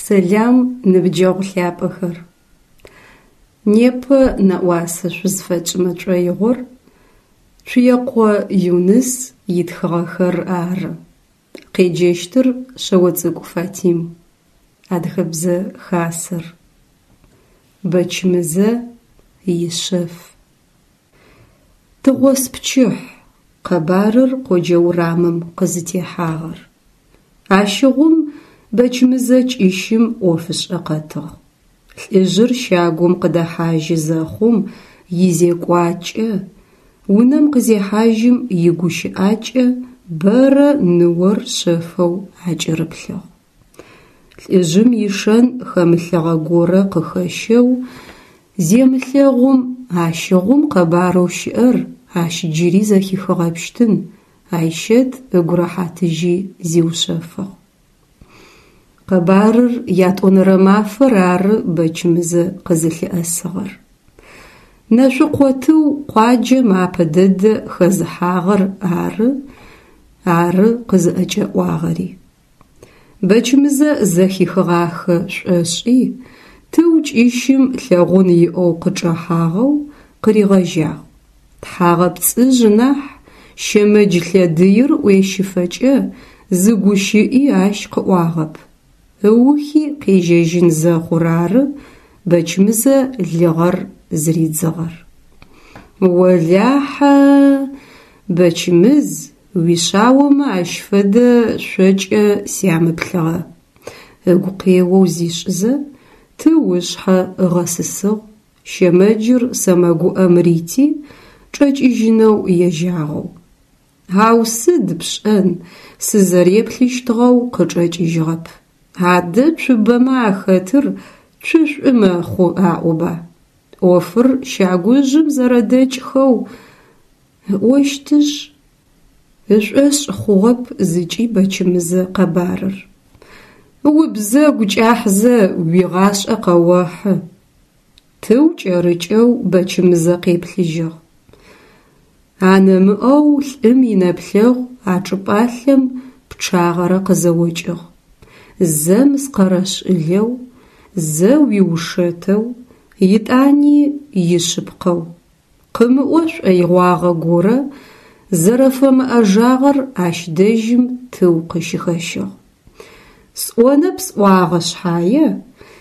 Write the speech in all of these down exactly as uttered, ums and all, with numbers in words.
Сэлам, ныбджэгъу лъапӏэхэр! Непэ нэӏуасэ шъузфэтшӏымэ тшӏоигъор Цуекъо Юныс итхыгъэхэр ары. Къеджэщтыр Шъэоцӏыкӏу Фатим. Адыгэбзэ Хасэр. Бэчмызэ ишъэф. Тыгъоспчыхь къэбарыр къоджэ урамым къызытехьагъэр. Ащыгъум Бэчмызэ кӏыщым ӏофышӏэ къэтыгъ. Лӏыжъыр щагум къыдэхьажьы зэхъум изекӏуакӏэ, унэм къызехьажьым игущыӏакӏэ бэрэ ныор шъэфэу акӏырыплъыгъ. Лӏыжъым ишэн хэмылъыгъэ горэ къыхэщэу земылъэгъум, ащыгъум къэбарэу щыӏэр ащ джыри зэхихыгъэпщтын, Айщэт ыгу рэхьатыжьи зиушъэфыгъ. Къэбарыр ятӏонэрэ мафэр ары Бэчмызэ къызылъыӏэсыгъэр. Нэшъукъо Тыу къуаджэм апэ дэдэ хэзыхьагъэр ары, ары къызыӏэкӏэӏуагъэри. Бэчмызэ зэхихыгъахэ шӏошӏи, Тыу кӏыщым лъэгъун иӏэу къычӏэхьагъэу къыригъэжьагъ. Тхьагъэпцӏыжъ нахь, щэмэдж лъэдыир ӏуещыфэкӏэ зы гущыӏи ащ къыӏуагъэп. Ыухи къежьэжьын зэхъур ары Бэчмызэ лыгъэр зыридзыгъэр. Олахьэ, Бэчмыз, уишъаомэ ащ фэдэ шъокӏэ сямыплъыгъэ. Ыгу къеоу зишӏызэ, Тыу ышъхьэ ыгъэсысыгъ, щэмэджыр сэмэгуӏэм рити, чӏэкӏыжьынэу ежьагъэу. Ау сыд пшӏэн, сызэреплъыщтыгъэу къычӏэкӏыжьыгъэп. Адэ цубэмэ ахэтыр цушӏу мэхъу аӏоба. ӏофыр щагужъым зэрэдэкӏхэу ыӏощтышъ, ышӏошъ хъугъэп зыкӏи Бэчмызэ къэбарыр. Убзэгу кӏахьзэ уигъашӏэ къэохьы. Тыу кӏэрыкӏэу Бэчмызэ къеплъыжьыгъ. Анэмыӏэу лӏым инэплъэгъу а чӏыпӏалъэм пчъагъэрэ къызэокӏыгъ. Зэ мыскъэрэшӏылэу, зэ уиушэтэу, итӏани ишъыпкъэу. Къымыӏо шӏоигъуагъэ горэ зэрэфэмыӏэжагъэр ащ дэжьым Тыу къыщыхэщыгъ. Сӏонэп сӏуагъэ шъхьае,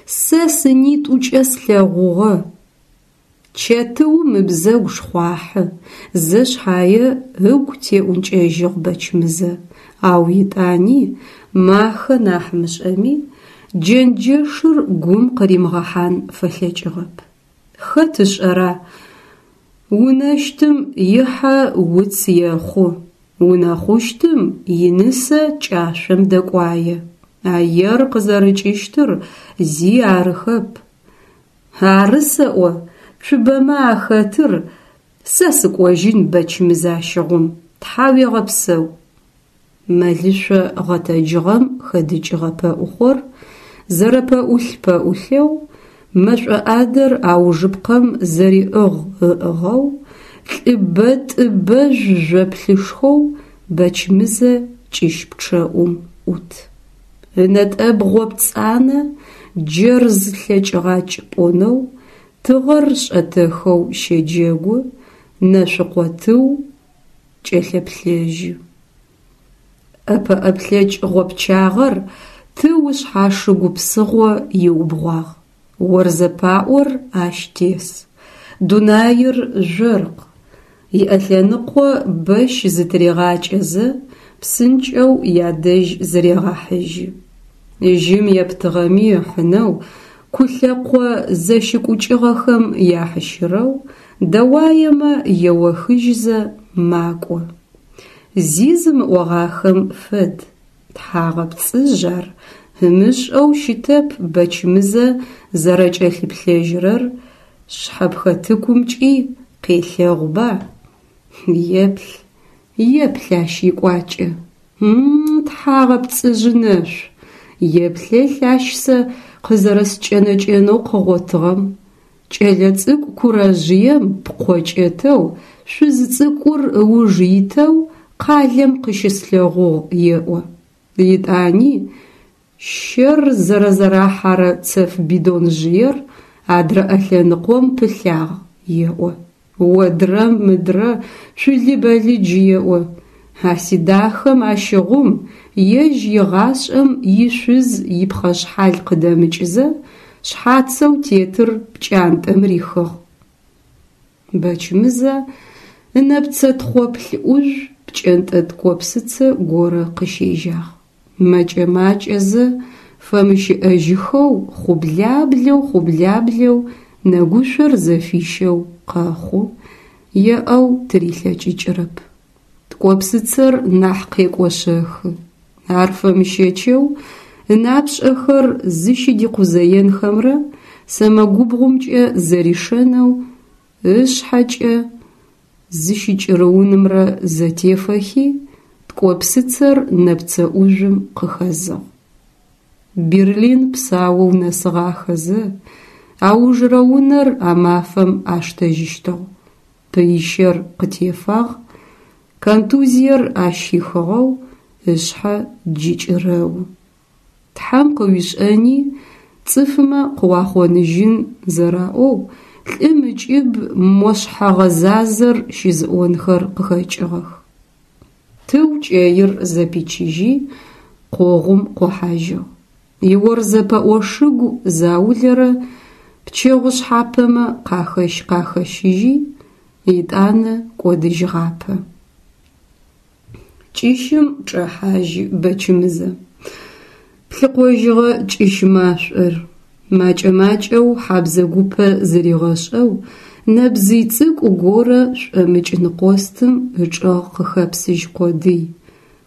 сэ сынитӏукӏэ слъэгъугъэ. Чэтыум ыбзэгу шхъуахьы, зэ шъхьае ыгу теӏункӏэжьыгъ Бэчмызэ, ау етӏани махэ нахь мышӏэми, джэнджэшыр гум къыримыгъэхьан фэлъэкӏыгъэп. Хэт ышӏэра, унэщтым ихьэ уц ехъу, унэхъущтым инысэ кӏашъом дэкӏуае. А ер къызэрыкӏыщтыр зи арыхэп. Ары сэӏо, цубэмэ ахэтыр сэ сыкӏожьын Бэчмыз ащыгъум, тхьауегъэпсэу. Мэлышъо гъэтэджыгъэм хэдыкӏыгъэ пэӏухъор зэрэпэӏулъ-пэӏулъэу, мэшӏо ӏадэр аужыпкъэм зэриӏыгъ ыӏыгъэу, лӏы бэтӏы-бэжъу жъоплъышхоу Бэчмызэ кӏыщ пчъэӏум ӏут. Ынэтӏэбгъо пцӏанэ джэрз лъэкӏыгъакӏ пӏонэу, тыгъэр шӏэтэхэу щэджэгу, Нэшъукъо Тыу кӏэлъэплъэжьы. ӏэпэӏэплъэкӏ гъопчагъэр Тыу ышъхьашыгу псыгъо иубгъуагъ. Орзэ паӏор ащ тес. Дунаир жъоркъ. Иӏэлъэныкъо бэщ зытыригъакӏэзэ, псынкӏэу ядэжь зырегъэхьыжьы. Жьым ептыгъэми ыхьынэу, кулъэкъо зэщыкӏукӏыгъэхэм яхьыщырэу, дэуаемэ еохыжьызэ макӏо. Зи зымыӏогъахэм фэд. Тхьагъэпцӏыжъ ар, ымышӏэу щытэп Бэчмызэ зэрэкӏэлъыплъэжьырэр шъхьэпхэтыкумкӏи къелъэгъуба. Еплъ, еплъ ащ икӏуакӏэ. М-м, тхьагъэпцӏыжъ нэшъу, еплъэлъ ащ сэ къызэрэскӏэнэкӏэнэу къыгъотыгъэм. Кӏэлэцӏыкӏу курэжъыем пкъо кӏэтэу, шъуз цӏыкӏур ыуж итэу къалэм къыщыслъэгъугъ еӏо. Етӏани Щэр зэрэзэрахьэрэ цэф бидонжъыер адрэ ӏэлъэныкъом пылъагъ, еӏо. Одрэ-мыдрэ, цули-бэлыдж еӏо. А сидахэм ащыгъум ежь игъашӏэм ишъуз ипхъэшъхьал къыдэмыкӏызэ, шъхьацэу тетыр пкӏантӏэм рихыгъ. Бэчмызэ ынэпцэ тхъоплъ ӏужъу пкӏэнтӏэ ткӏопсыцэ горэ къыщежьагъ. Мэкӏэ-макӏэзэ, фэмыщыӏэжьыхэу хъублаблэу-хъублаблэу нэгушъор зэфищэу къэхъу, еӏэу тырилъэкӏыкӏырэп. Ткӏопсыцэр нахь къекӏошъэхы. Ар фэмыщэчэу ынапшӏэхэр зыщыдикъузэенхэмрэ сэмэгубгъумкӏэ зэришэнэу ышъхьэкӏэ зыщыкӏырыунымрэ зэтефэхи, ткӏопсыцэр нэпцэ ӏужъум къыхэзыгъ. Берлин псаоу нэсыгъахэзэ, аужырэ унэр а мафэм аштэжьыщтыгъ. Пыищэр къытефагъ, контузиер ащ хихыгъэу ышъхьэ джы кӏырэу. Тхьэм къыуишӏэни цӏыфмэ къыуахъоныжьын зэраӏоу, лӏым ыкӏыб мо шъхьэгъэзазэр щызыӏонхэр къыхэкӏыгъэх. Тыу кӏэир зэпичыжьи, къогъум къохьажьыгъ. Иорзэ пэӏо шыгу заулэрэ пчэгъу шъхьапэмэ къахэщ-къахэщыжьи, етӏанэ кӏодыжьыгъапэ. Кӏыщым чӏэхьажьы Бэчмызэ. Плъыкъожьыгъэ кӏыщ машӏор. Макӏэ-макӏэу хьабзэ гупэ зыригъэшӏэу нэбзый цӏыкӏу горэ шӏомыкӏ ныкъостым ычӏэгъ къыхэпсыжь къодый,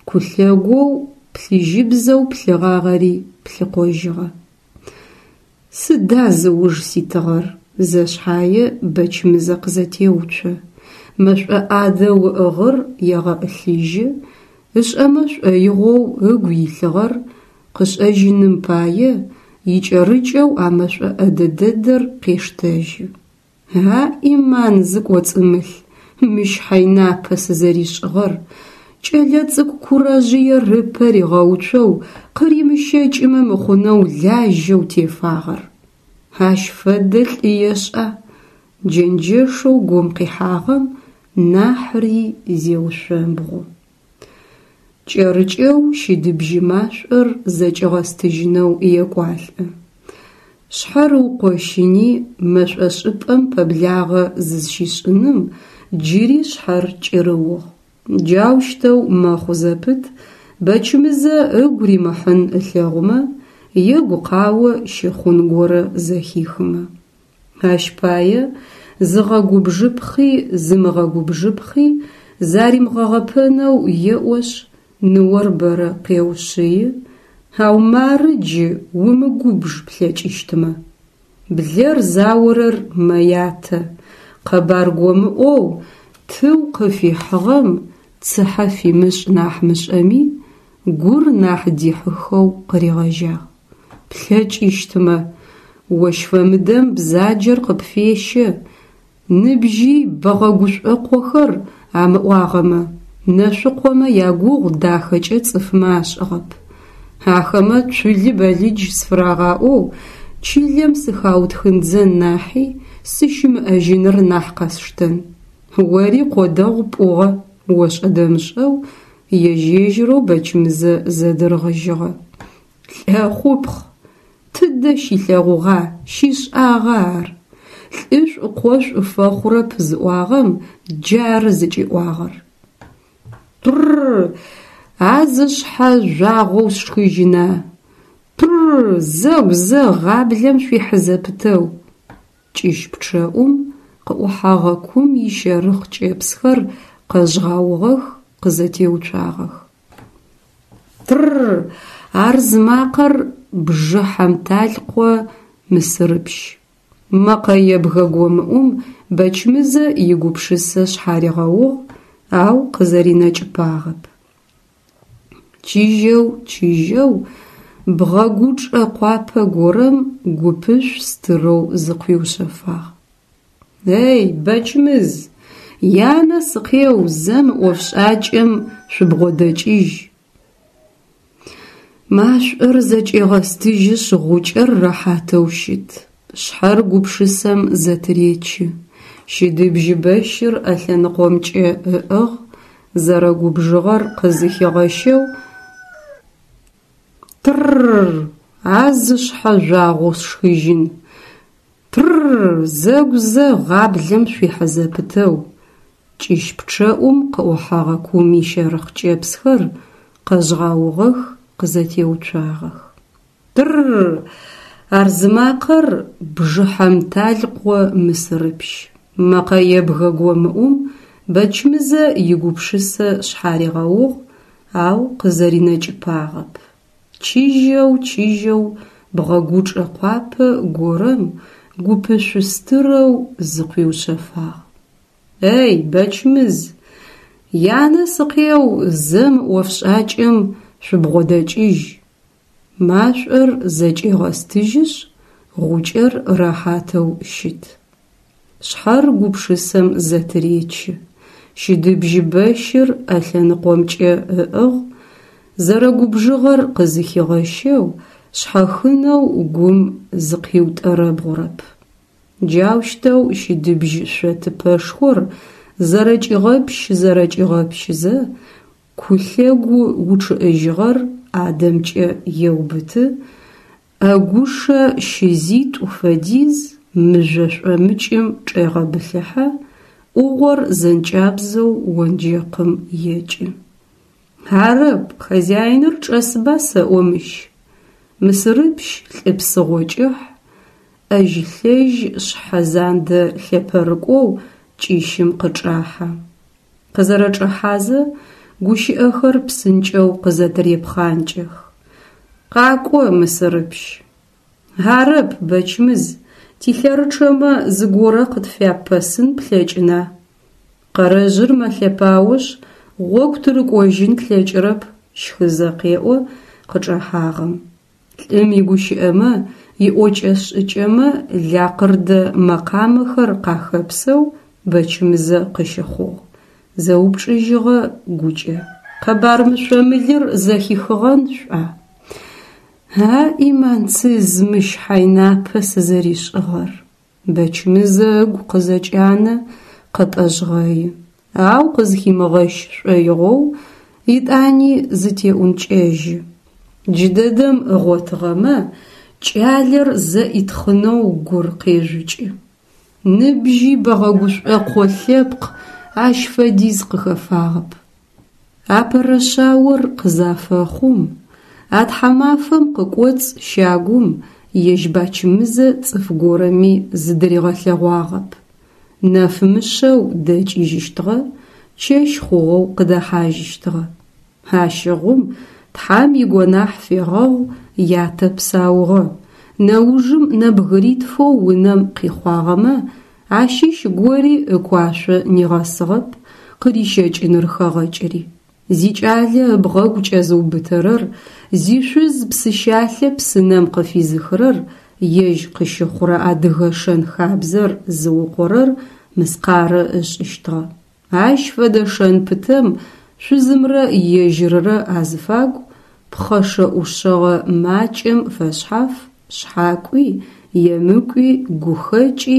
кулъэгоу плъыжьыбзэу плъыгъагъэри плъыкъожьыгъэ. Сыда зыуж ситыгъэр? Зэ шъхьае Бэчмызэ къызэтеуцо. Мэшӏо ӏадэу ыӏыгъыр егъэӏылъыжьы, ышӏэмэ шӏоигъоу ыгу илъыгъэр къышӏэжьыным пае икӏэрыкӏэу а мэшӏо ӏэдэ дэдэр къештэжьы. А ӏиман зыкӏоцӏымылъ, мыщ хьэйнапэ сызэришӏыгъэр, кӏэлэцӏыкӏу курэжъыер ыпэ ригъэуцоу къыримыщэкӏымэ мыхъунэу лажьэу тефагъэр. Ащ фэдэ лӏы ешӏа? Джэнджэшэу гум къихьагъэм нахьри зеушъомбгъу. Кӏэрыкӏэу щыдыбжьы машӏор зэкӏигъэстыжьынэу екӏуалӏэ. Шъхьэр ыукъощыни мэшӏо шӏыпӏэм пэблагъэ зызщишӏыным джыри шъхьэр кӏырыугъ. Джаущтэу мэхъу зэпыт Бэчмызэ ыгу римыхьын ылъэгъумэ е гукъао щыхъун горэ зэхихымэ. Ащ пае зыгъэгубжыпхъи зымыгъэгубжыпхъи заримыгъэгъэпэнэу еӏошъ, ныор бэрэ къеушъыи, ау мары джы умыгубж плъэкӏыщтмэ. Блэр заорэр мэятэ, къэбар гомыӏоу Тыу къыфихьыгъэм цыхьэ фимышӏ нахь мышӏэми, гур нахь дихьыхэу къыригъэжьагъ. Плъэкӏыщтмэ, ощ фэмыдэм бзаджэр къыпфещэ, ныбжьи Бэгъэгушӏокъохэр амыӏуагъэмэ, Нэшъукъомэ ягугъу дахэкӏэ цӏыфмэ ашӏыгъэп. Ахэмэ цули-бэлыдж сфырагъаӏоу чылэм сыхаутхындзэн нахьи, сыщымыӏэжьыныр нахь къэсштэн. Ори къо дэгъу пӏугъэ, ошӏэ-дэмышӏэу ежь-ежьырэу Бэчмызэ зэдыргъыжьыгъэ. Лӏэхъупхъ! Тыдэ щилъэгъугъа, щишӏагъа ар? Лӏышӏу къошӏу фэхъурэп зыӏуагъэм джары зыкӏиӏуагъэр. Тррр, а зышъхьэ жъуагъоу сшхыжьына! Тррр, зэгу зэ гъаблэм шъуихьы зэпытэу! Кӏыщ пчъэӏум къыӏухьэгъэ кум ищэрыхъ кӏэпсхэр къэжъгъэугъэх, къызэтеуцуагъэх. Тррр! Ар зымакъэр бжы хьамталкъо Мысырыпщ. Мэкъэ ебгэ гомыӏум Бэчмызэ игупшысэ шъхьаригъэугъ, ау къызэринэкӏыпагъэп. Чыжьэу, чыжьэу бгъэгучӏэ къуапэ горэм гупышъу стырэу зыкъуиушъэфагъ. Эй, Бэчмыз, янэ сыкъеу, зэ мы ӏофшӏакӏэм шъубгъодэкӏыжь! Машӏор зэкӏегъэстыжьышъ, гъукӏэр рэхьатэу щыт, шъхьэр гупшысэм зэтыречы. Щыдыбжь бэщыр ӏэлъэныкъомкӏэ ыӏыгъ, зэрэгубжыгъэр къызыхигъэщэу «Тр-р-р, а зышъхьэ жъуагъэу сшхыжьын! Тр-р-р, зэгу зэ гъаблэм шъуихьэ зэпытэу!» Кӏыщ пчъэӏум къыӏухьэгъэ кум ищэрыхъ кӏэпсхэр къэжъгъэугъэх, къызэтеуцуагъэх. Тр-р-р! Ар зымакъэр Бжыхьэмталкъо Мысырыпщ. Мэкъэ ебгэ гомыӏум Бэчмызэ игупшысэ шъхьаригъэугъ, ау къызэринэкӏыпагъэп. Чыжьэу, чыжьэу бгъэгучӏэ къуапэ горэм гупышъу стырэу зыкъуиушъэфагъ. Эй, Бэчмыз, янэ сыкъеу, зэ мы ӏофшӏакӏэм шъубгъодэкӏыжь! Машӏор зэкӏегъэстыжьышъ, гъукӏэр рэхьатэу щыт, шъхьэр гупшысэм зэтыречы. Щыдыбжь бэщыр ӏэлъэныкъомкӏэ ыӏыгъ, зэрэгубжыгъэр къызыхигъэщэу, шъхьэхынэу гум зыкъиутӏэрэбгъурэп. Джаущтэу щыдыбжь шъотыпэшхор зэрэкӏигъэпщ-зэрэкӏигъэпщызэ, ку лъэгу учъыӏыжьыгъэр ӏадэмкӏэ еубыты, ӏэгушэ щызитӏу фэдиз мыжъо шӏомыкӏым чӏегъэбылъыхьэ, ӏугъор зэнкӏабзэу онджэкъым екӏы. Арэп, хозяиныр чӏэсба сэӏо мыщ? Мысырыпщ лӏы псыгъо кӏыхь, ӏэжь-лъэжь шъхьэ зандэ лъэпэрыкӏоу кӏыщым къычӏахьэ. Къызэрэчӏэхьазэ гущыӏэхэр псынкӏэу къызэтырепхъанкӏэх. Къакӏо, Мысырыпщ. Арэп, Бэчмыз, тилъэрычъэмэ зыгорэ къытфяппэсын плъэкӏына? Къэрэжъыр мэлъэпаошъ, гъогу тырыкӏожьын тлъэкӏырэп, щхызэ къеӏо къычӏэхьагъэм. Лӏым игущыӏэмэ, иӏокӏэ-шӏыкӏэмэ лакъырдэ мэкъамэхэр къахэпсэу Бэчмызэ къыщыхъугъ, зэупчӏыжьыгъэ гукӏэ: Къэбар мышъо-мылыр зэхихыгъэн шӏуа? А ӏиманцыз, мыщ хьайнапэ сызэришӏыгъэр! Бэчмызэ ыгу къызэкӏанэ, къэпӏэжъгъэи. Ау къызхимыгъэщ шӏоигъоу етӏани зытеӏункӏэжьы. Джыдэдэм ыгъотыгъэмэ, кӏалэр зэӏитхъынэу гур къежъукӏы. Ныбжьи Бэгъэгушӏокъо лъэпкъ ащ фэдиз къыхэфагъэп. Апэрэ шъаор къызафэхъум, а тхьамафэм къыкӏоцӏ щагум ежь Бачмызэ цӏыф горэми зыдыригъэлъэгъуагъэп. Нэфмышъэу дэкӏыжьыщтыгъэ, чэщ хъугъэу къыдэхьажьыщтыгъэ. Ащыгъум Тхьам игонахь фегъэгъу ятэ псаугъэ, нэужым нэбгыритфэу унэм къихъуагъэмэ ащыщ гори ыкуашъо нигъэсыгъэп, къырищэкӏыныр хэгъэкӏыри. Зикӏалэ ыбгъэгу кӏэзыубытэрэр, зишъуз псыщалъэ псынэм къыфизыхырэр, ежь къыщыхъурэ адыгэ шэн-хабзэр зыукъорэр мыскъарэ ышӏыщтыгъэ. Ащ фэдэ шэн пытэм шъузымрэ ежьыррэ азыфагу пхъэшэ-ӏушъэгъэ макӏэм фэшъхьаф шъхьакӏуи, емыкӏуи, гухэкӏи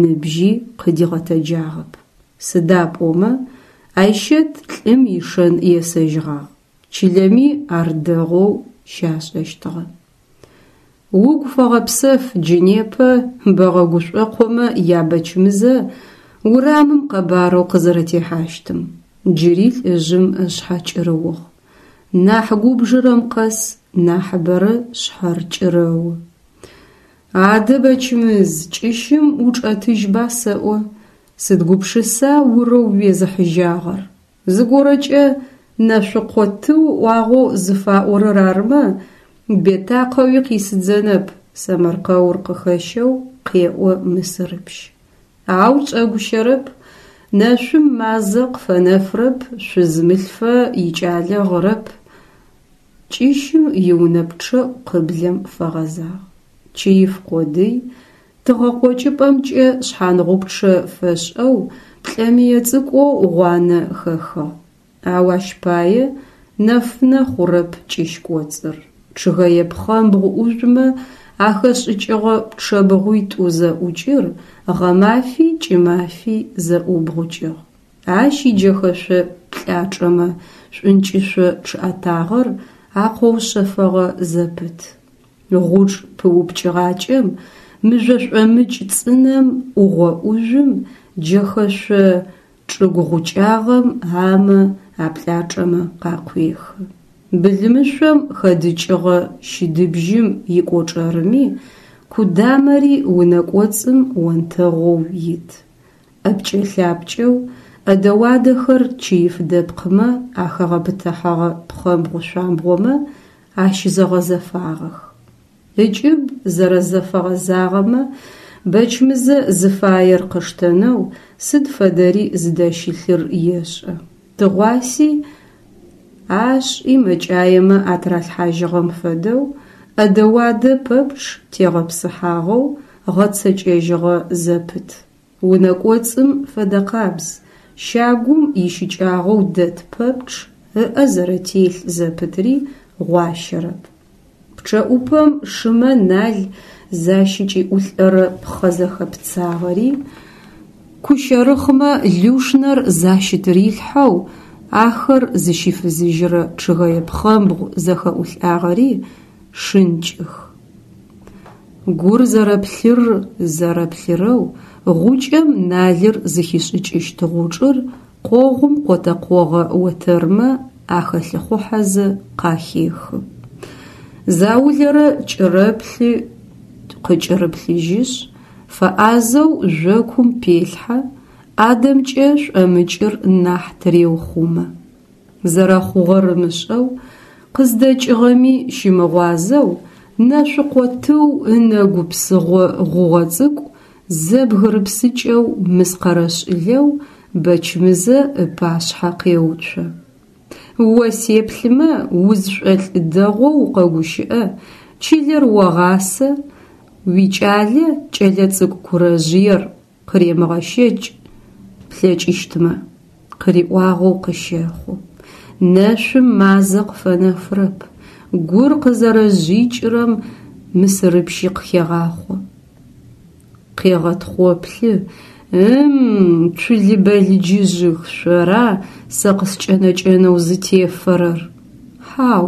ныбжьи къыдигъэтэджагъэп. Сыда пӏомэ Айщэт лӏым ишэн есэжьыгъагъ, чылэми ар дэгъоу щашӏэщтыгъэ. Угу фэгъэпсэф джы непэ Бэгъэгушӏокъомэ я Бэчмызэ урамым къэбарэу къызэрэтехьащтым. Джыри лӏыжъым ышъхьэ кӏырыугъ. Нахь губжырэм къэс нахьыбэрэ шъхьэр кӏырэу. Адэ, Бэчмыз, кӏыщым учӏэтыжьба сэӏо, сыд гупшыса урэу уезыхьыжьагъэр? Зыгорэкӏэ Нэшъукъо тыу ыӏуагъэу зыфаӏорэр армэ, бетакъэуи къисыдзэнэп, сэмэркъэур къыхэщэу къеӏо Мысырыпщ. Ау чӏэгущэрэп, нэшъум мазэ къыфэнэфрэп, шъуз мылъфэ икӏалэ гъырэп. Кӏыщым иунэ пчъэӏу къыблэм фэгъэзагъ. Чыиф къодый, тыгъэкъокӏыпӏэмкӏэ шъхьангъупчъэ фэшӏэу плӏэмые цӏыкӏоу гъуанэ хэхыгъ. Ау ащ пае нэфынэ хъурэп кӏыщ кӏоцӏыр. Чъыгэе пхъэмбгъу ӏужъумэ ахэшӏыкӏыгъэ пчъэбгъуитӏу зэӏукӏыр гъэмафи кӏымафи зэӏубгъукӏыгъ. Ащ иджэхэшъо плӏачӏэмэ шӏункӏышъо чъыӏэтагъэр акъоушъэфэгъэ зэпыт. Гъучӏ пыупкӏыгъакӏэм, мыжъо шӏомыкӏ цӏынэм, ӏугъо ӏужъум, джэхэшъо чӏыгу гъукӏагъэм амэ аплӏачӏэмэ къакъуехы. Былымышъом хэдыкӏыгъэ щыдыбжьым икӏочӏэрыми кудамэри унэ кӏоцӏым онтэгъоу ит. ӏэпкӏэ-лъапкӏэу, ӏэдэ-уадэхэр чыиф дэпкъымэ ахэгъэпытыхьэгъэ пхъэмбгъу шъуамбгъомэ ащызэгъэзэфагъэх. Ыкӏыб зэрэзэфэгъэзагъэмэ Бэчмызэ зыфаер къыштэнэу сыд фэдэри зыдэщылъыр ешӏэ. Тыгъуаси ашӏи мэкӏаемэ атыралъхьажьыгъэм фэдэу ӏэдэ-уадэ пэпчъ тегъэпсыхьагъэу гъэцэкӏэжьыгъэ зэпыт. Унэ кӏоцӏым фэдэкъабз, щагум ищыкӏагъэу дэт пэпчъ ыӏэ зэрэтелъ зэпытри гъуащэрэп. Пчъэӏупэм шымэ нал защыкӏиӏулӏэрэ пхъэ зэхэпцагъэри, кущэрыхъмэ лушнэр защытырилъхьэу ахэр зыщифызыжьырэ чъыгэе пхъэмбгъу зэхэӏулӏагъэри шынкӏых. Гур зэрэплъыр-зэрэплъырэу гъукӏэм налыр зыхишӏыкӏыщт гъучӏыр къогъум къотэкъогъэ отэрмэ ахэлъыхъухьэзэ къахехы. Заулэрэ кӏырэплъы, къыкӏырыплъыжьышъ, фэӏазэу жъокум пелъхьэ, ӏадэмкӏэ шӏомыкӏыр нахь тыреухъумэ. Зэрэхъугъэр ымышӏэу, къыздэкӏыгъэми щымыгъуазэу Нэшъукъо Тыу ынэгу псыгъо гъугъэ цӏыкӏу зэбгырыпсыкӏэу мыскъэрэшӏылэу Бэчмызэ ыпашъхьэ къеуцо. О сеплъымэ, узшӏолӏ дэгъоу укъэгущыӏэ, чылэр огъасэ, уикӏалэ кӏэлэцӏыкӏу курэжъыер къыремыгъэщэкӏ плъэкӏыщтмэ, къыриӏуагъэу къыщэхъу. Нэшъум мазэ къыфэнэфырэп, гур къызэрэжъикӏырэм Мысырыпщи къыхегъахъо. Къегъэтхъоплъы: Ы-м, цулы-бэлыджыжъых, шъора сэ къыскӏэнэкӏэнэу зытефэрэр? Хьау,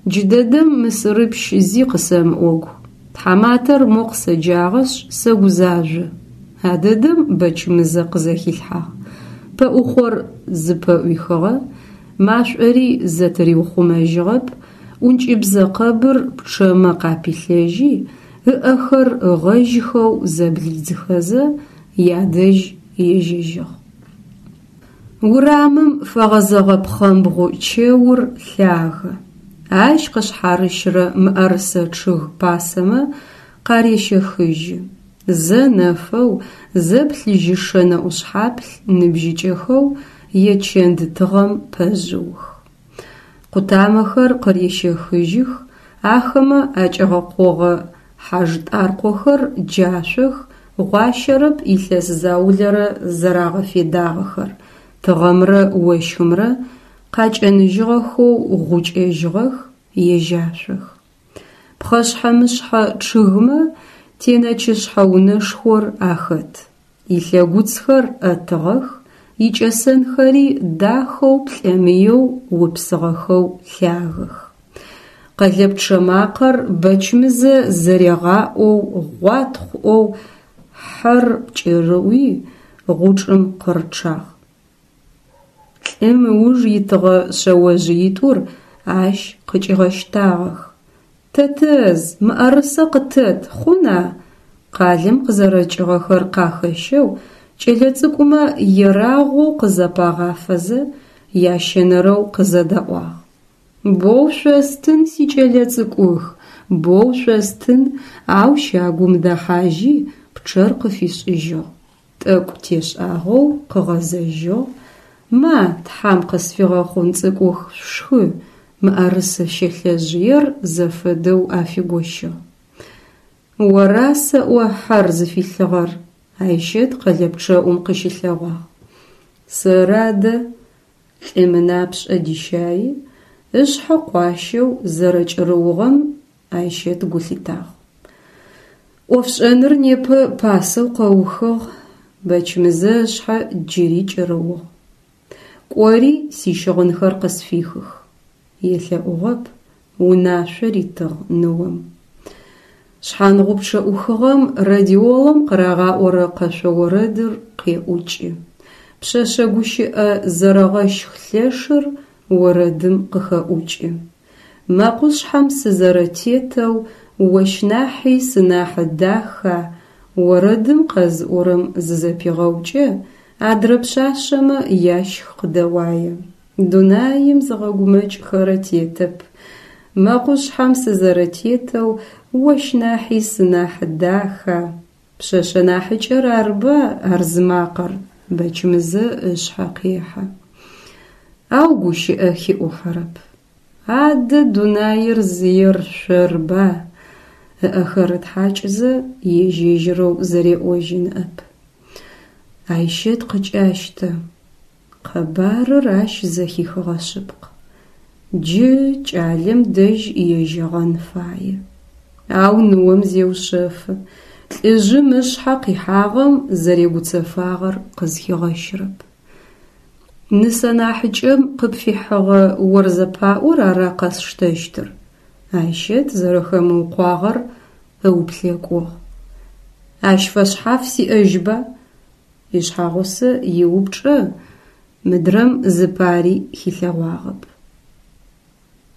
джыдэдэм Мысырыпщ зи къысэмыӏогу, тхьаматэр мо къысэджагъэшъ сэгузажъо, а дэдэм Бэчмызэ къызэхилъхьагъ. Пэӏухъор зыпэӏуихыгъэ, машӏори зэтыриухъумэжьыгъэп, ӏункӏыбзэ къэбыр пчъэмэ къапилъэжьи, ыӏэхэр ыгъэжьхэу зэблидзыхэзэ, ядэжь ежьэжьыгъ. Урамым фэгъэзэгъэ пхъэмбгъу чэур лъагэ. Ащ къышъхьарыщрэ мыӏэрысэ чъыг пасэмэ къарещэхыжьы. Зэ нэфэу, зэ плъыжьышэ нэӏушъхьаплъ ныбжьыкӏэхэу ечэнд тыгъэм пэжъыух. Къутамэхэр къырещэхыжьых, ахэмэ акӏэгъэкъогъэ хьажтӏаркъохэр джашъох, гъуащэрэп илъэс заулэрэ зэрагъэфедагъэхэр, тыгъэмрэ ощхымрэ къакӏэныжьыгъэхэу гъукӏэжьыгъэх, ежьашъох. Пхъэшъхьэ-мышъхьэ чъыгмэ тенэчышъхьэ унэшхор ахэт. Илъэгуцхэр ӏэтыгъэх, икӏэсэнхэри дахэу плӏэмыеу упсыгъэхэу лъагэх. Къэлэпчъэ макъэр Бэчмызэ зэрегъаӏоу гъуатхъу ӏоу хьэр кӏырыуи, гъучӏым къырычъагъ. Лӏым ыуж итыгъэ шъэожъыитӏур ащ къыкӏигъэщтагъэх. Тэтэжъ, мыӏэрысэ къытэт, хъуна? Къалэм къызэрэкӏыгъэхэр къахэщэу кӏэлэцӏыкӏумэ ерагъоу къызапагъафэзэ, ящэнэрэу къызэдаӏуагъ. Боу шъостын, сикӏэлэцӏыкӏух, боу шъостын, ау щагум дэхьажьи, пчъэр къыфишӏыжьыгъ. Тӏэкӏу тешӏагъэу къыгъэзэжьыгъ: Ма, тхьам къысфигъэхъун цӏыкӏух, шъушхы, мыӏэрысэ щэлъэжъыер зэфэдэу афигощыгъ. Ора сэӏо хьэр зыфилъыгъэр? Айщэт къэлэпчъэӏум къыщылъэгъуагъ. Сэры адэ? Лӏым ынапшӏэ дищайи, Ышъхьэ къуащэу зэрэкӏырыугъэм Айщэт гу лъитагъ. Ӏофшӏэныр непэ пасэу къэухыгъ, Бэчмызэ ышъхьэ джыри кӏырыугъ. Кӏори сищыгъынхэр къысфихых. Елъэӏугъэп, унашъо ритыгъ ныом. Шъхьангъупчъэ ӏухыгъэм радиолэм къырагъаӏорэ къэшъо орэдыр къеӏукӏы. Пшъэшъэ гущыӏэ зэрэгъэщх лъэшыр орэдым къыхэӏукӏы. Мэкъушъхьэм сызэрэтетэу ощ нахьи сынахьы даха орэдым къэзыӏорэм зызэпигъэукӏэ, адрэ пшъашъэмэ ящх къыдэуае. Дунаим зыгъэгумэкӏхэрэ тетэп. Мэкъушъхьэм сызэрэтетэу ощ нахьи сынахьы даха. Пшъэшъэ нахьыкӏэр арыба ар зымакъэр, Бэчмызэ ышъхьэ къехьэ. Ау гущыӏэ хиӏухьэрэп. Адэ дунаир зыер шъорба? Ыӏэхэр ытхьакӏызэ, ежь-ежьырэу зэреӏожьы ныӏэп. Айщэт къыкӏащтэ. Къэбарыр ащ зэхихыгъэ шъыпкъ. Джы кӏалэм дэжь ежьэгъэн фае. Ау ныом зеушъэфы, лӏыжъым ышъхьэ къихьагъэм зэрегуцэфагъэр къызхигъэщрэп. Нысэ нахьыкӏэм къыпфихьыгъэ орзэпаӏор ара къэсштэщтыр? Айщэт зэрэхэмыукъуагъэр ыуплъэкӏугъ. Ащ фэшъхьаф сиӏэжьба? Ишъхьагъусэ иупчӏэ мыдрэм зыпари хилъэгъуагъэп.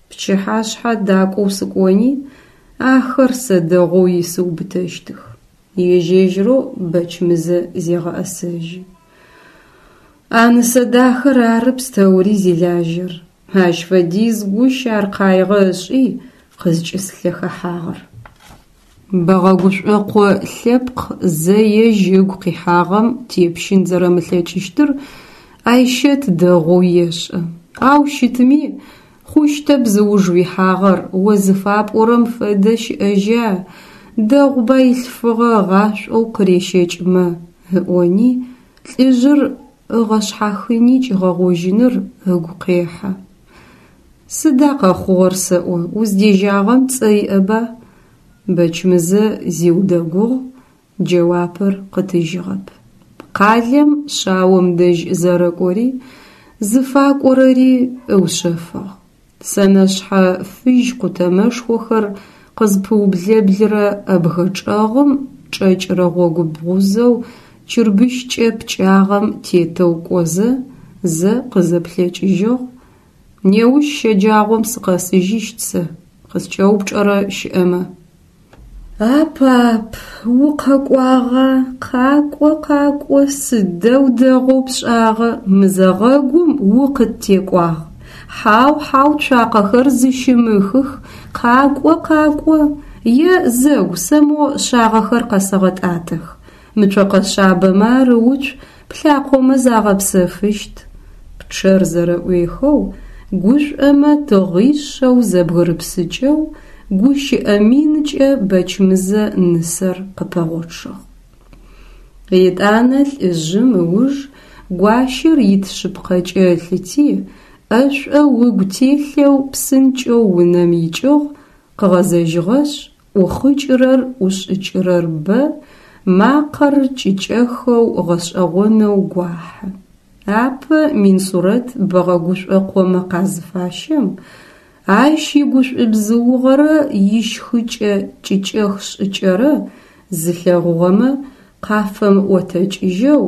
Пчыхьашъхьэ дакӏоу сыкӏони, ахэр сэ дэгъоу исыубытэщтых. Ежь-ежьырэу Бэчмызэ зегъэӏэсэжьы. А Нысэдахэр ары пстэури зилажьэр. Ащ фэдиз гущ ар къаигъэ ышӏи къызкӏыслъэхэхьагъэр. Бэгъэгушӏокъо лъэпкъ зэ ежь ыгу къихьагъэм тепщын зэрэмылъэкӏыщтыр Айщэт дэгъоу ешӏэ. Ау щытми, хъущтэп зыуж уихьагъэр, о зыфапӏорэм фэдэ щыӏэжьа, дэгъуба илъфыгъэ ыгъашӏоу къырещэкӏмэ, ыӏони, лӏыжъыр ыгъэшъхьахыни кӏигъэгъожьыныр ыгу къехьэ. Сыда къэхъугъэр сэӏо, уздежьагъэм цӏэ иӏэба? Бэчмызэ зиудэгугъ, джэуапыр къытыжьыгъэп. Къалэм шъаом дэжь зэрэкӏори, зыфакӏорэри ыушъэфыгъ. Сэнэшъхьэ фыжь къутэмэшхохэр къызпыублэблырэ ӏэбгэ чӏэгъым чӏэкӏырэ гъогу бгъузэу чырбыщкӏэ пкӏагъэм тетэу кӏозэ, зэ къызэплъэкӏыжьыгъ: «Неущ щэджагъом сыкъэсыжьыщт сэ, къыскӏэупчӏэрэ щыӏэмэ». А пап, укъэкӏуагъа, къакӏо, къакӏо, сыдэу дэгъоу пшӏагъэ, мызэгъэгум укъыттекӏуагъ. Хьау, хьау, цуакъэхэр зыщымыхых, къакӏо, къакӏо. Е, зэгу, сэ мо шъагъэхэр къэсэгъэтӏатэх. Мы цокъэ шъабэмэ арыуцу, плъакъомэ загъэпсэфыщт. Пчъэр зэрэӏуехэу, гушӏомэ тыгъишъэу зэбгырыпсыкӏэу, гущыӏэ минкӏэ Бэчмызэ нысэр къыпэгъочъыгъ. Етӏанэ лӏыжъым ыуж гуащэр ит шъыпкъэкӏэ ылъыти, ӏэшӏоу ыгу телъэу псынкӏэу унэм икӏыгъ, къыгъэзэжьыгъэшъ, ӏухъыкӏырэр ӏушӏыкӏырэр бэ, макъэр кӏыкӏэхэу гъэшӏэгъонэу гуахьы. Апэ Минсурэт Бэгъэгушӏокъомэ къазыфащэм, ащ игушӏубзыугъэрэ ищхыкӏэ кӏыкӏэх шӏыкӏэрэ зылъэгъугъэмэ къафэмыӏотэкӏыжьэу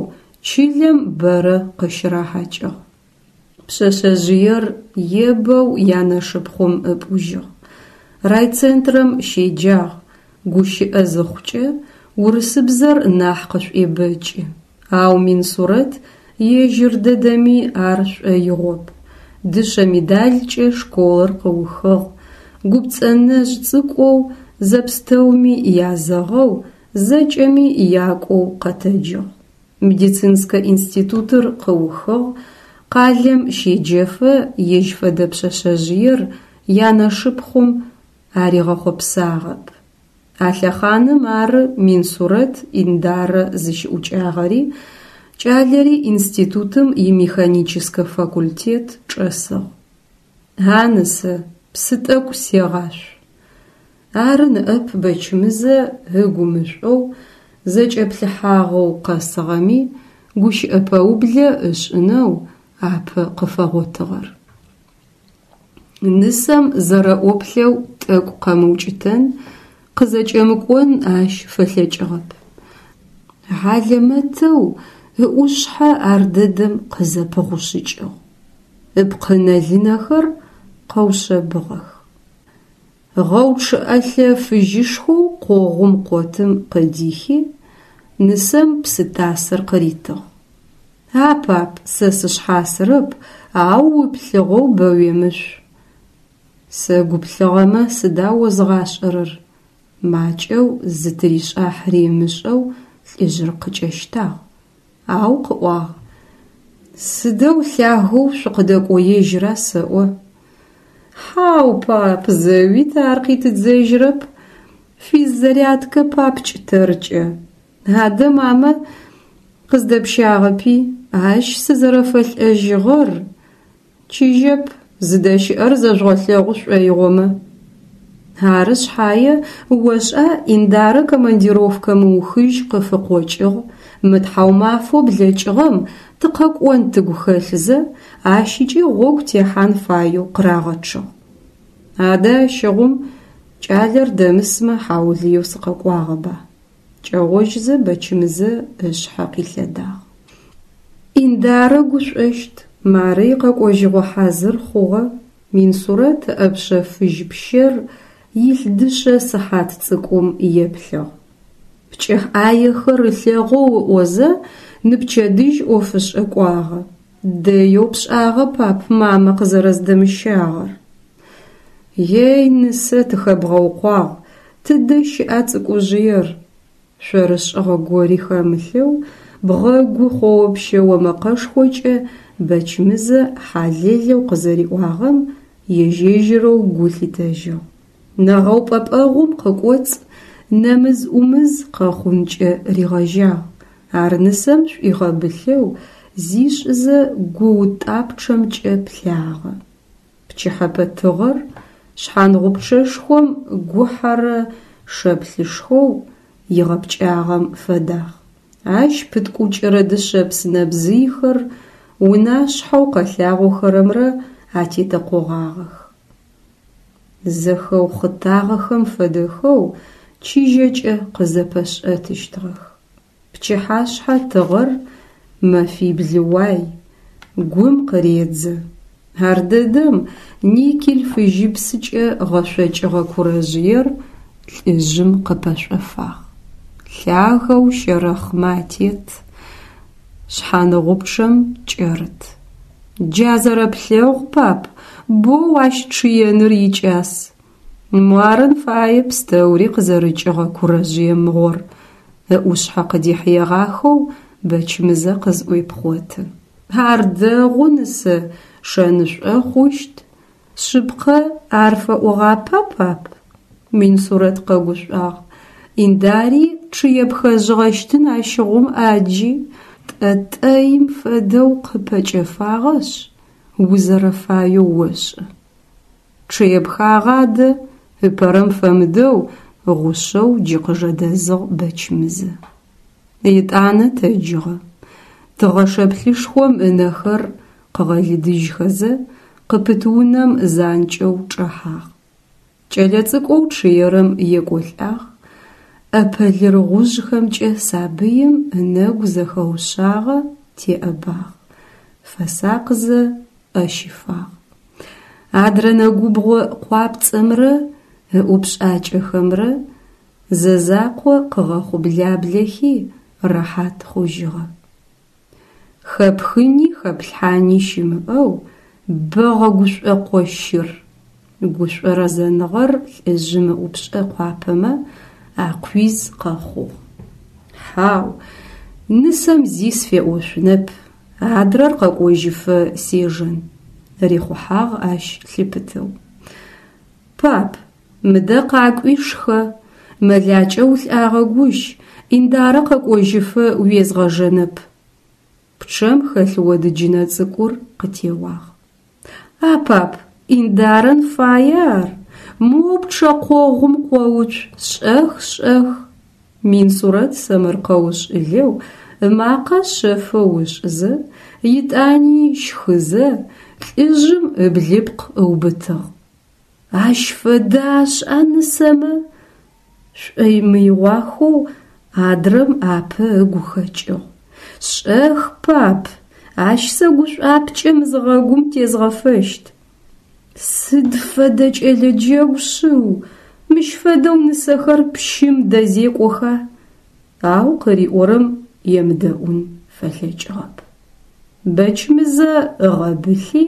чылэм бэрэ къыщырахьакӏыгъ. Пшъэшъэжъыер ебэу янэшыпхъум ыпӏужьыгъ. Райцентрэм щеджагъ, гущыӏэ зыхъукӏэ урысыбзэр нахь къышӏуебэкӏы. Ау Минсурэт ежьыр дэдэми ар шӏоигъоп. Дышъэ медалькӏэ школыр къыухыгъ, гупцӏэнэжъ цӏыкӏоу, зэпстэуми язэгъэу, зэкӏэми якӏоу къэтэджыгъ. Медицинскэ институтыр къыухыгъ, къалэм щеджэфэ ежь фэдэ пшъэшъэжъыер янэшыпхъум аригъэхъопсагъэп. А лъэхъаным ары Минсурэт Индарэ зыщыӏукӏагъэри, кӏалэри институтым имеханическэ факультет чӏэсыгъ. А нысэ, псы тӏэкӏу сегъашъу. Ары ныӏэп Бэчмызэ ыгу мышӏоу, зэкӏэплъыхьагъэу къэсыгъэми, гущыӏэ пэублэ ышӏынэу апэ къыфэгъотыгъэр. Нысэм зэрэӏоплъэу тӏэкӏу къэмыукӏытэн, къызэкӏэмыкӏон ащ фэлъэкӏыгъэп. Хьалэмэтэу ыӏушъхьэ ардэдэм къызэпыгъушъыкӏыгъ, ыпкъынэ-лынэхэр къэушъэбыгъэх. Гъэучъыӏэлъэ фыжьышхоу къогъум къотым къыдихи, нысэм псы тасыр къыритыгъ. А пап, сэ сышъхьасырэп, ау уплъыгъэу бэ уемышъу. Сэ гу плъыгъэмэ сыда озгъашӏэрэр? Макӏэу зытыришӏахьыри ымышӏэу лӏыжъыр къыкӏэщтагъ, ау къыӏуагъ: Сыдэу лъагэу шъукъыдэкӏоежьра сэӏо? Хьау, пап, зэуи тэ ар къитыдзэжьырэп. Физзарядкэ папкӏ тэркӏэ. Адэ мамэ къыздэпщагъэпи, ащ сызэрэфэлӏэжьыгъэр чыжьэп, зыдэщыӏэр зэжъугъэлъэгъу шӏоигъомэ. Ары шъхьае, ошӏа, Индарэ командировкэ мыухыжь къыфыкъокӏыгъ, мы тхьаумафэу блэкӏыгъэм тыкъэкӏон тыгу хэлъзэ, ащыкӏи гъогу техьан фаеу къырагъэчъыгъ. Адэ ащыгъум кӏалэр дэмысмэ хьаулыеу сыкъэкӏуагъэба? Кӏэгъожьзэ Бэчмызэ ышъхьэ къилъэдагъ. Индарэ гушӏощт, мары икъэкӏожьыгъо хьазыр хъугъэ. Минсурэт ыӏэпшъэ фыжь пщэр илъ дышъэ сыхьат цӏыкӏум еплъыгъ. Пкӏыхь ӏаехэр ылъэгъоу ыӏозэ, ныпчэдыжь ӏофышӏэ кӏуагъэ. Дэеу пшӏагъэ, пап, мамэ къызэрэздэмыщагъэр. Ей, нысэ, тыхэбгъэукъуагъ, тыдэ щыӏа цӏыкӏужъыер? Шъорышӏыгъэ гори хэмылъэу, бгъэгу хъоопщэо мэкъэшхокӏэ Бэчмызэ хьалэлэу къызэриӏуагъэм ежь-ежьырэу гу лъитэжьыгъ. Нэгъэупӏэпӏэгъум къыкӏоцӏ нэмыз-ӏумыз къэхъункӏэ ригъэжьагъ. Ар нысэм шӏуигъэбылъэу зишӏызэ гуутӏапчъэмкӏэ плъагъэ. Пчыхьэпэ тыгъэр шъхьангъупчъэшхом гухьэрэ шэплъышхоу игъэпкӏагъэм фэдагъ. Ащ пыткӏукӏырэ дышъэпс нэбзыйхэр унашъхьэу къэлъагъохэрэмрэ атетэкъогъагъэх. Зэхэухъытагъэхэм фэдэхэу чыжьэкӏэ къызэпэшӏэтыщтыгъэх. Пчыхьашъхьэ тыгъэр мэфибл уай, гум къыредзэ. Ардэдэм никель фыжьыпсыкӏэ гъэшъокӏыгъэ курэжъыер лӏыжъым къыпэшӏофагъ. Лъагэу щэрэхъмэ атет, шъхьаныгъупчъэм кӏэрыт. Джа зэрэплъэгъу, пап, боу ащ чъыеныр икӏас. Муарын фае пстэури къызэрыкӏыгъэ курэжъые мыгъор, ыӏушъхьэ къыдихьыегъахэу Бэчмызэ къызӏуепхъоты. Ар дэгъу, нысэ, шэнышӏо хъущт. Шъыпкъэ, ар фэӏогъапа, пап? Минсурэт къэгушӏуагъ. Индари чъыепхэжъыгъэщтын ащыгъум ӏаджи. Тӏэтӏэим фэдэу къыпэкӏэфагъэшъ, узэрэфаеу ошӏы. Чъыепхагъа адэ, ыпэрэм фэмыдэу гъушъэу джы къыжэдэзыгъ Бэчмызэ. Етӏанэ тэджыгъэ. Тыгъэ шэплъышхом ынэхэр къыгъэлыдыжьхэзэ, къыпыт унэм занкӏэу чӏэхьагъ. Кӏэлэцӏыкӏоу чъыерэм екӏолӏагъ, ӏэпэ лыргъужъхэмкӏэ сабыим ынэгу зэхэушъагъэ теӏэбагъ, фэсакъзэ ӏэ щифагъ. Адрэ нэгубгъо къуапцӏэмрэ ыӏупшӏакӏэхэмрэ зэзакъо къыгъэхъублаблэхи, рэхьат хъужьыгъэ. Хэпхыни хэплъхьани щымыӏэу бэ гъэгушӏокъо щыр. Гушӏо рэзэныгъэр лӏыжъым ыӏупшӏэ къуапэмэ акъуиз къэхъугъ. Хьау, нысэм зи сфеӏошъунэп, адрэр къэкӏожьыфэ сежэн, рихъухьагъ ащ лъыпытэу. Пап, мыдэ къакӏуи шхэ, мэлакӏэ улӏагъэгущ, Индарэ къэкӏожьыфэ уезгъэжэнэп. Пчъэм хэлъ одыджынэ цӏыкӏур къытеуагъ. А пап, Индарэн фае ар, моу пчъэкъогъум къоуцу, шӏэх, шӏэх! Минсурэт сэмэркъэушӏылэу ымакъэ шъэфэу ышӏызэ, етӏани щхызэ, лӏыжъым ыблыпкъ ыубытыгъ. Ащ фэдэ ашӏа нысэмэ? Шӏомыигъуахэу адрэм апэ ыгу хэкӏыгъ. Шӏэх, пап, ащ сэ гушӏуапкӏэ мызыгъэгум тезгъэфэщт. Сыд фэдэ кӏэлэ джэгу шъыу, мыщ фэдэу нысэхэр пщым дэзекӏоха? Ау къыриӏорэм емыдэӏун фэлъэкӏыгъэп. Бэчмызэ ыгъэбылъи,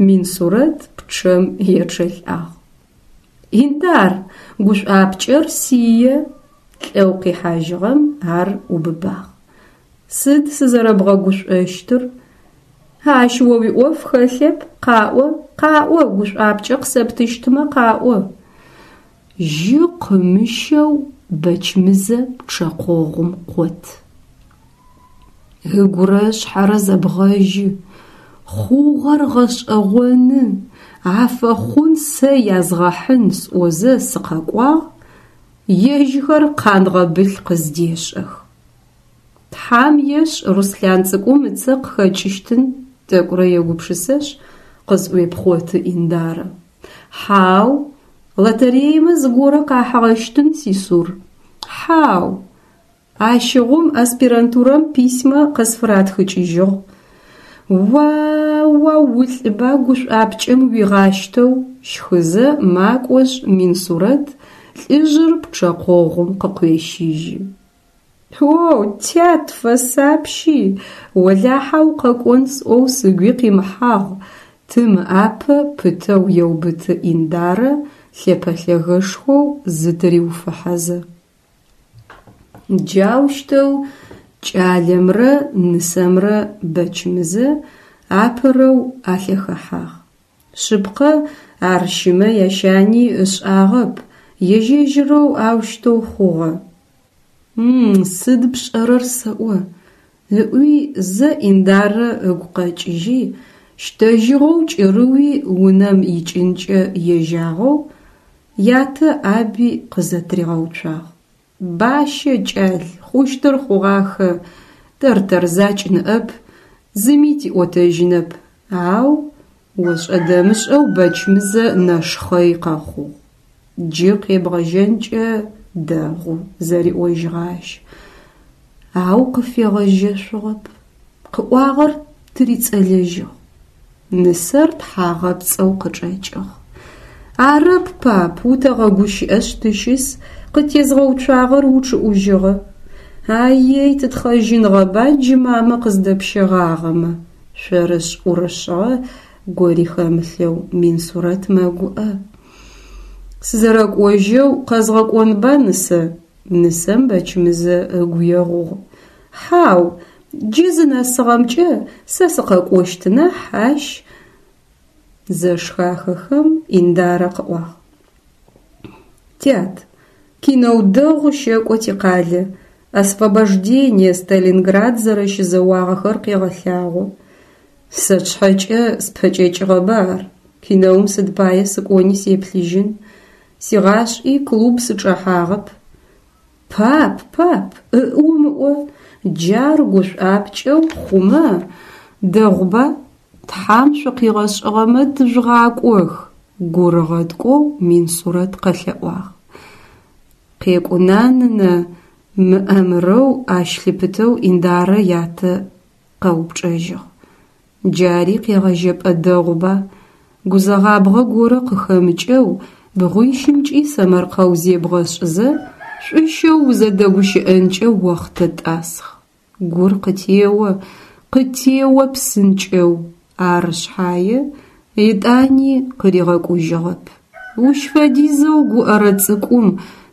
Минсурэт пчъэм ечъэлӏагъ. Индар, гушӏуапкӏэр сие! Лӏэу къихьажьыгъэм ар ӏубыбагъ. Сыд сызэрэбгъэгушӏощтыр? Ащ о уиӏоф хэлъэп, къаӏо, къаӏо, гушӏуапкӏэ къысэптыщтмэ къаӏо. Жьы къымыщэу Бэчмызэ пчъэкъогъум къот. Ыгурэ ышъхьэрэ зэбгъэжьы. Хъугъэр гъэшӏэгъоны, афэхъун сэ язгъэхьын сӏозэ сыкъэкӏуагъ, ежьхэр къангъэбылъ къыздешӏэх. Тхьам ешӏ, Руслъан цӏыкӏум ыцӏэ къыхэкӏыщтын, тӏэкӏурэ егупшысэшъ, къызӏуепхъоты Индарэ. Хьау, лотереемэ зыгорэ къахьыгъэщтын, Сисур? Хьау. Ащыгъум аспирантурэм письмэ къысфыратхыкӏыжьыгъ. Уа-уау, улӏба гушӏуапкӏэм уигъащтэу, щхызэ макӏошъ Минсурэт лӏыжъыр пчъэкъогъум къыкъуещыжьы. О, тят, фэсапщи, олахьэ укъэкӏон сӏоу сыгуи къимыхьагъ, тым ыӏапэ пытэу еубыты Индарэ лъэпэлъэгэшхоу зытыриуфыхьэзэ. Джаущтэу кӏалэмрэ нысэмрэ Бэчмызэ апэрэу алъэхэхьагъ. Шъыпкъэ, ар щымэ ящани ышӏагъэп, ежь-ежьырэу аущтэу хъугъэ. Сыд пшӏэрэр сэӏо? Ыӏуи зэ Индарэ ыгу къэкӏыжьи, щтэжьыгъэу кӏырыуи унэм икӏынкӏэ ежьагъэу, ятэ ӏаби къызэтыригъэуцуагъ. Бащэ, кӏал, хъущтыр хъугъахэ, тэр-тэр закӏ ныӏэп, зыми тиӏотэжьынэп, ау ошӏэ-дэмышӏэу Бэчмызэ нэшхъэй къэхъугъ. Джы къебгъэжьэнкӏэ дэгъу, зэриӏожьыгъэ ащ, ау къыфегъэжьэшъугъэп, къыӏуагъэр тырицӏэлэжьыгъ. Нысэр тхьагъэпцӏэу къычӏэкӏыгъ. Арэп, пап, утэгъэгущыӏэшъ тыщыс, къыттезгъэуцуагъэр учъыӏужьыгъэ. А-ей, тытхъэжьынгъэба джы мамэ къыздэпщэгъагъэмэ, шъорышӏ-ӏурышӏыгъэ гори хэмылъэу Минсурэт мэгуӏэ. Сызэрэкӏожьэу къэзгъэкӏонба, нысэ? Нысэм Бэчмызэ ыгу егъугъ. Хьау, джы зынэсыгъэмкӏэ сэ сыкъэкӏощт нахь, ащ зэшхахэхэм Индарэ къыӏуагъ. Тят, кинэу дэгъу щэкӏо тикъалэ, Освобождение Сталинград зэрэщызэуагъэхэр къегъэлъагъо. Сэ сшъхьэкӏэ спэкӏэкӏыгъэба ар, кинэум сыд пае сыкӏони сеплъыжьын, сигъашӏи клуб сычӏэхьагъэп. Пап, пап, ыӏ умыӏо, джар гушӏуапкӏэу хъумэ дэгъуба, Тхьам шъукъигъэшӏыгъэмэ тыжъугъакӏох, гур ыгъэткӏоу Минсурэт къэлъэӏуагъ. Къекӏуна, нынэ, мыӏэмырэу ащ лъыпытэу Индарэ ятэ къэупчӏэжьыгъ. Джари къегъэжьэпӏэ дэгъуба, гузэгъабгъэ горэ къыхэмыкӏэу бгъуищымкӏи сэмэркъэу зебгъэшӏызэ, шӏущэу узэдэгущыӏэнкӏэ охътэ тӏасхъ. Гур къытео, къытео псынкӏэу, ары шъхьае, етӏани къыригъэкӏужьыгъэп. Ущ фэдизэу гуӏэрэ цӏыкӏум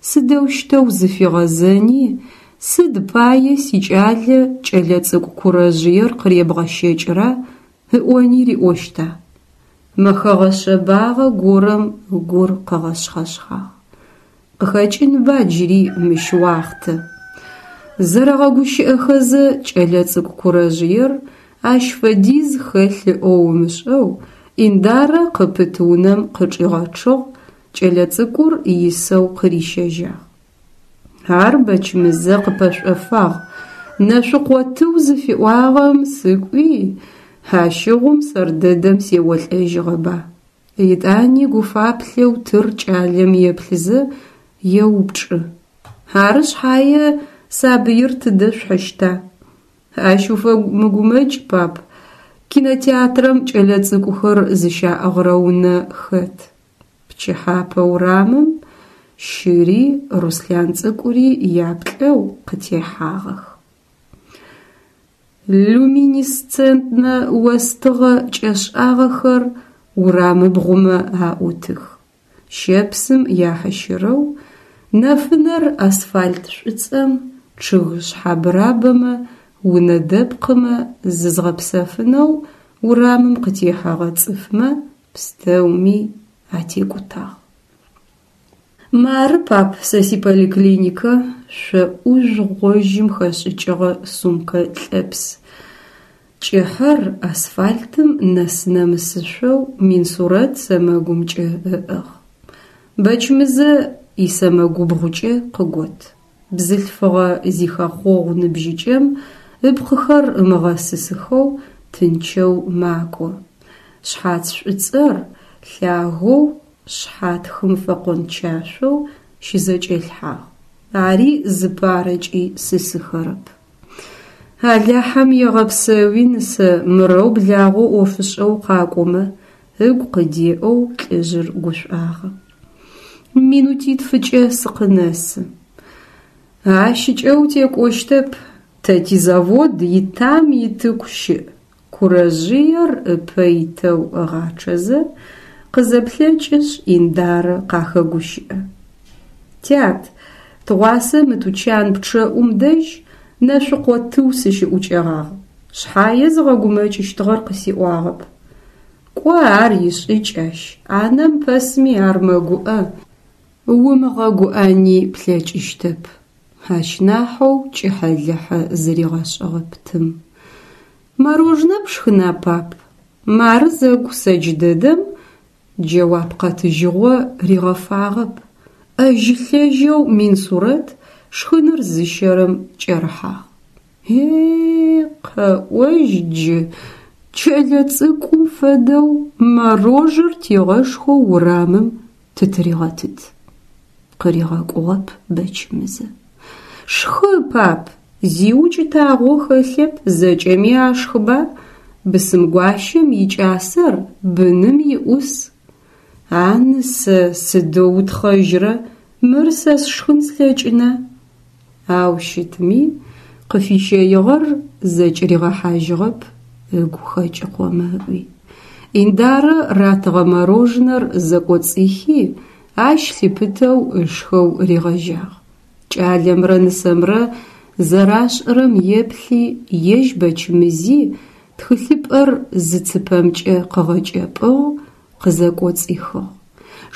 сыдэущтэу зыфигъэзэни, сыд пае сикӏалэ кӏэлэцӏыкӏу курэжъыер къыребгъэщэкӏыра ыӏони риӏощта? Мэхэгъэ шъэбагъэ горэм гур къыгъэшъхъэшъхъагъ. Къыхэкӏынба джыри мыщ уахътэ? Зэрэгъэгущыӏэхэзэ кӏэлэцӏыкӏу курэжъыер ащ фэдиз хэлъ ыӏоу ымышӏэу Индарэ къыпыт унэм къычӏигъэчъыгъ, кӏэлэцӏыкӏур исэу къырищэжьагъ. Ар Бэчмызэ къыпэшӏофагъ, Нэшъукъо тыу зыфиӏуагъэм сыкӏуи, ащыгъум сэр дэдэм сеолӏэжьыгъэба. Етӏани гуфаплъэу тыр кӏалэм еплъызэ еупчӏы: Ары шъхьае сабыир тыдэ шъухьыщта? Ащ уфэмыгумэкӏ, пап, кинотеатрэм кӏэлэцӏыкӏухэр зыщаӏыгърэ унэ хэт. Пчыхьапэ урамым щыри Руслъан цӏыкӏури яплӏэу къытехьагъэх. Люминесцентнэ остыгъэ кӏэшӏагъэхэр урамыбгъумэ аӏутых. Щэпсым яхьыщырэу нэфынэр асфальт шӏуцӏэм, чъыг шъхьабырабэмэ, унэ дэпкъымэ, зызгъэпсэфынэу урамым къытехьэгъэ цӏыфмэ пстэуми атекӏутагъ. Мары, пап, сэ сиполиклиникэ шъо ӏужъу гъожьым хэшӏыкӏыгъэ сумкэ лъэпс кӏыхьэр асфальтым нэс-нэмысышъоу Минсурэт сэмэгумкӏэ ыӏыгъ. Бэчмызэ исэмэгубгъукӏэ къыгот. Бзылъфыгъэ зихэхъогъу ныбжьыкӏэм ыпкъыхэр ымыгъэсысыхэу тынчэу макӏо. Шъхьац шӏуцӏэр лъагэу шъхьатхым фэкъончашъоу щызэкӏэлъхьагъ. Ари зыпарэкӏи сысыхэрэп. Алахьэм егъэпсэуи, нысэ, мырэу благъэу ӏофышӏэ укъакӏомэ, ыгу къыдеӏэу лӏыжъыр гушӏуагъэ. Минутитфыкӏэ сыкъынэсы. Ащыкӏэ утекӏощтэп, тэ тизавод итам итыку щыӏ, курэжъыер ыпэ итэу ыгъачъэзэ, къызэплъэкӏышъ Индарэ къахэгущыӏэ. Тят, тыгъуасэ мы тучан пчъэӏум дэжь Нэшъукъо тыу сыщыӏукӏэгъагъ, шъхьае зыгъэгумэкӏыщтыгъэр къысиӏуагъэп. Кӏо ар ишӏыкӏ ащ, ӏанэм пэсми ар мэгуӏэ, умыгъэгуӏэни плъэкӏыщтэп. Ащ нахьэу кӏыхьэ-лыхьэ зыригъэшӏыгъэп тым. Морожнэ пшхына, пап? Мары зэгу сэ джыдэдэм джэуап къэтыжьыгъо ригъэфагъэп, ӏэжьы-лъэжьэу Минсурэт шхыныр зыщэрэм кӏэрыхьагъ. Е-е, къэӏожь джы, кӏэлэцӏыкӏум фэдэу морожэр тигъэшхэу урамым тытыригъэтыт. Къыригъэкӏугъэп Бэчмызэ. Шхы, пап, зи укӏытагъо хэлъэп, зэкӏэми ашхыба, бысымгуащэм икӏасэр быным иӏус. А нысэ, сыдэу утхъэжьрэ, мыр сэ сшхын слъэкӏына? Ау щытми, къыфищэигъэр зэкӏыригъэхьажьыгъэп, ыгу хэкӏыкъомэ ыӏуи. Индарэ ратыгъэ морожнэр зэкӏоцӏихи, ащ лъыпытэу ышхэу ригъэжьагъ. Кӏалэмрэ нысэмрэ зэрашӏырэм еплъи, ежь Бэчмызи тхылъыпӏэр зы цыпэмкӏэ къыгъэкӏэпӏыгъ, къызэкӏоцӏихыгъ.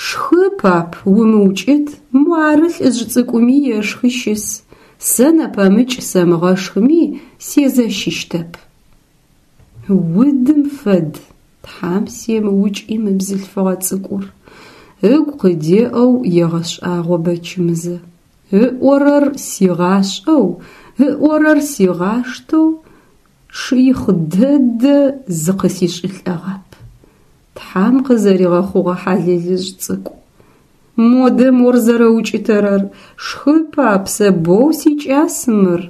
Шхы, пап, умыукӏыт, муары лӏыжъ цӏыкӏуми ешхы щыс. Сэ нэпэмыкӏ сэмыгъэшхыми сезэщыщтэп. Удым фэд, Тхьам семыукӏи мы бзылъфыгъэ цӏыкӏур, ыгу къыдеӏэу егъэшӏагъо Бэчмызэ. Ыӏорэр сигъашӏэу, ыӏорэр сигъаштэу шыихъ дэдэ зыкъысишӏылӏэгъап. Тхьам къызэригъэхъугъэ хьалэлыжъ цӏыкӏу. Модэ мор зэрэукӏытэрэр, шхы, пап, сэ боу сикӏас мыр.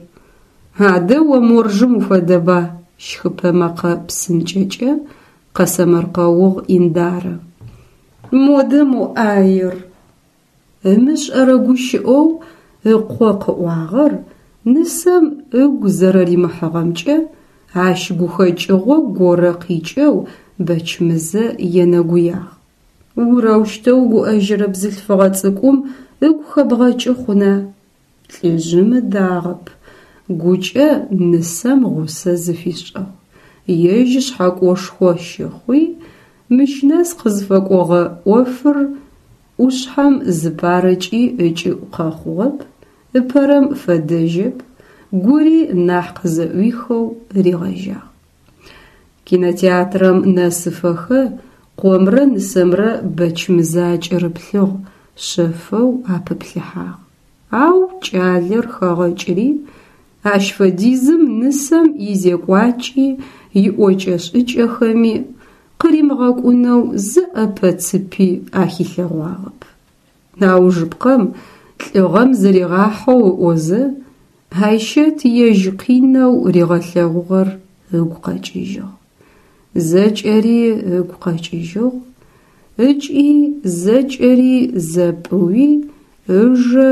Адэ о моржым уфэдэба, щхыпэ мэкъэ псынкӏэкӏэ къэсэмэркъэугъ Индарэ. Модэ мо ӏаер! Ымышӏэрэ гущыӏэу ыкъо къыӏуагъэр нысэм ыгу зэрэримыхьыгъэмкӏэ ащ гухэкӏыгъо горэ къикӏэу Бэчмызэ енэгуягъ. Урэущтэу гуӏэжьырэ бзылъфыгъэ цӏыкӏум ыгу хэбгъэкӏы хъуна? Лӏыжъым ыдагъэп, гукӏэ нысэм гъусэ зыфишӏыгъ. Ежь шъхьэкӏошхо щыхъуи, мыщ нэс къызфэкӏогъэ ӏофыр ӏушъхьэм зыпарэкӏи ыкӏыӏу къэхъугъэп, ыпэрэм фэдэжьэп, гури нахь къызэӏуихэу ригъэжьагъ. Кинотеатрэм нэсыфэхэ Къомрэ нысэмрэ Бэчмызэ акӏырыплъыгъ, шъэфэу апыплъыхьагъ. Ау кӏалэр хэгъэкӏри, ащ фэдизым нысэм изекӏуакӏи иӏокӏэ-шӏыкӏэхэми къыримыгъэкӏунэу зы ӏэпэ-цыпи ахилъэгъуагъэп. Аужыпкъэм, лӏыгъэм зыригъахьэу ыӏозэ, Айщэт ежь къинэу ригъэлъэгъугъэр ыгу къэкӏыжьыгъ. Зэкӏэри ыгу къэкӏыжьыгъ ыкӏи зэкӏэри зэпӏыуи ыжэ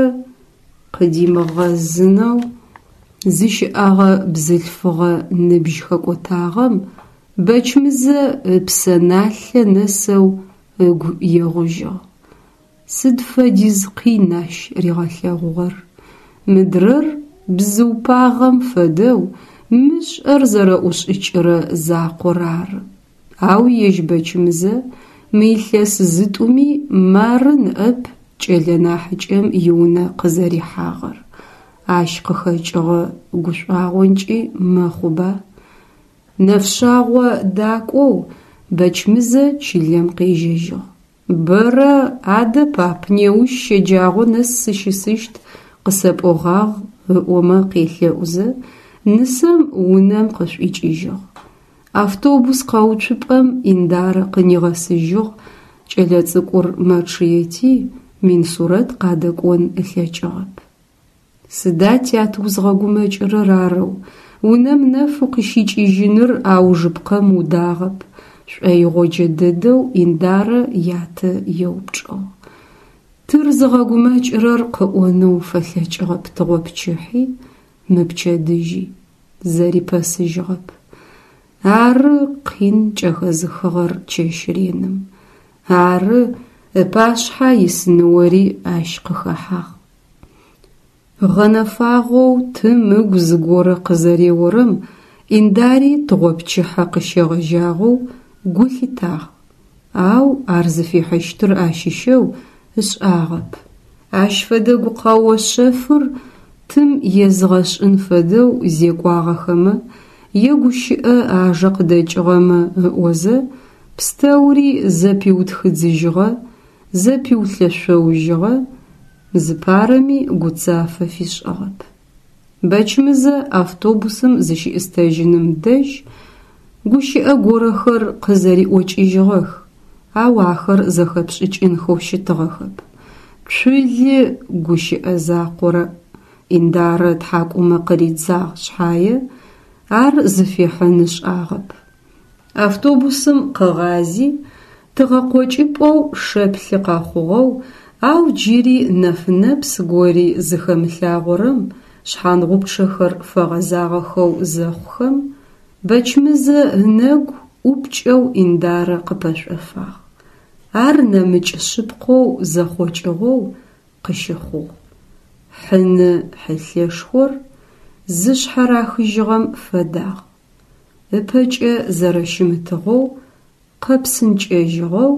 къыдимыгъэзынэу зыщыӏэгъэ бзылъфыгъэ ныбжь хэкӏотагъэм Бэчмызэ ыпсэ налъэ нэсэу ыгу егъужьыгъ. Сыд фэдиз къин ащ ригъэлъэгъугъэр, мыдрэр бзыу пагъэм фэдэу мышӏэр зэрэӏушӏыкӏырэ закъор ары. Ау ежь Бэчмызэ мы илъэс зытӏуми мары ныӏэп кӏэлэ нахьыкӏэм иунэ къызэрихьагъэр, ащ къыхэкӏыгъэ гушӏуагъонкӏи мэхъуба. Нэфшъагъо дакӏоу Бэчмызэ чылэм къежьэжьыгъ. Бэрэ «Адэ, пап, неущ щэджагъо нэс сыщысыщт къысэпӏогъагъ» ыӏомэ къелъэӏузэ, нысэм унэм къышӏуикӏыжьыгъ. Автобус къэуцупӏэм Индарэ къынигъэсыжьыгъ, кӏэлэцӏыкӏур мэчъыети, Минсурэт къадэкӏон ылъэкӏыгъэп. Сыда, тят, узгъэгумэкӏырэр арэу, унэм нэф укъыщикӏыжьыныр аужыпкъэм удагъэп, шӏоигъоджэ дэдэу Индарэ ятэ еупчӏыгъ. Тыр зыгъэгумэкӏырэр къыӏонэу фэлъэкӏыгъэп тыгъопчыхьи, мыпчэдыжьи. Зэрипэсыжьыгъэп. Ары къин кӏэхэзыхыгъэр чэщ реным. Ары ыпашъхьэ ис ныори ащ къыхэхьагъ. Гъэнэфагъэу тым ыгу зыгорэ къызэреорэм Индари тыгъопчыхьэ къыщегъэжьагъэу гу лъитагъ, ау ар зыфихьыщтыр ащыщэу ышӏагъэп. Ащ фэдэ гукъэо шъэфыр тым езыгъэшӏын фэдэу зекӏуагъэхэмэ е гущыӏэ ажэ къыдэкӏыгъэмэ ыӏозэ, пстэури зэпиутхыдзыжьыгъэ, зэпиулъэшъоужьыгъэ, зыпарэми гуцафэ фишӏыгъэп. Бэчмызэ автобусым зыщиӏыстэжьыным дэжь гущыӏэ горэхэр къызэриӏокӏыжьыгъэх, ау ахэр зэхэпшӏыкӏынхэу щытыгъэхэп. Цулы гущыӏэ закъор Индарэ ытхьакӏумэ къыридзагъ шъхьае, ар зыфихьын ышӏагъэп. Автобусым къыгъази, тыгъэкъокӏыпӏэу шэплъы къэхъугъэу, ау джыри нэфынэпс гори зыхэмылъагъорэм шъхьангъупчъэхэр фэгъэзагъэхэу зэхъухэм, Бэчмызэ ынэгу ӏупкӏэу Индарэ къыпэшӏофагъ. Ар нэмыкӏ шъыпкъэу зэхъокӏыгъэу къыщыхъугъ. Хьыны хьылъэшхор зышъхьарахыжьыгъэм фэдагъ. Ыпэкӏэ зэрэщымытыгъэу къэпсынкӏэжьыгъэу,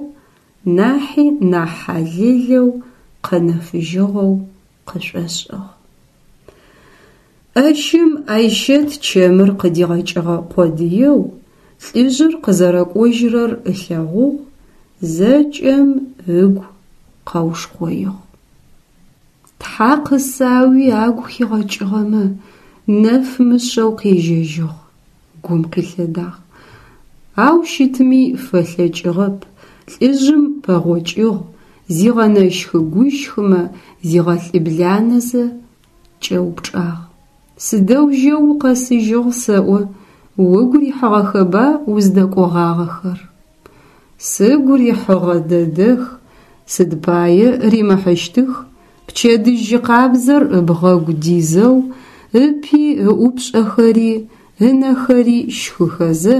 нахьи нахь хьалэлэу къэнэфыжьыгъэу къышӏошӏыгъ. Ӏэщым Айщэт чэмыр къыдигъэкӏыгъэ къодыеу, лӏыжъыр къызэрэкӏожьырэр ылъэгъугъ, зэкӏэм ыгу къэушкъоигъ. Тхьа къысауи агу хигъэкӏыгъэмэ, нэф мышъэу къежьэжьыгъ, гум къилъэдагъ. Ау щытми фэлъэкӏыгъэп, лӏыжъым пэгъокӏыгъ, зигъэнэщх-гущхымэ зигъэлӏыбланэзэ, кӏэупчӏагъ: «Сыдэу жьэу укъэсыжьыгъ сэӏо, угу рихьыгъэхэба уздэкӏогъагъэхэр?» «Сыгу рихьыгъэ дэдэх, сыд пае римыхьыщтых», пчэдыжь жьы къабзэр ыбгъэгу дизэу, ыпи ыӏупшӏэхэри ынэхэри щхыхэзэ,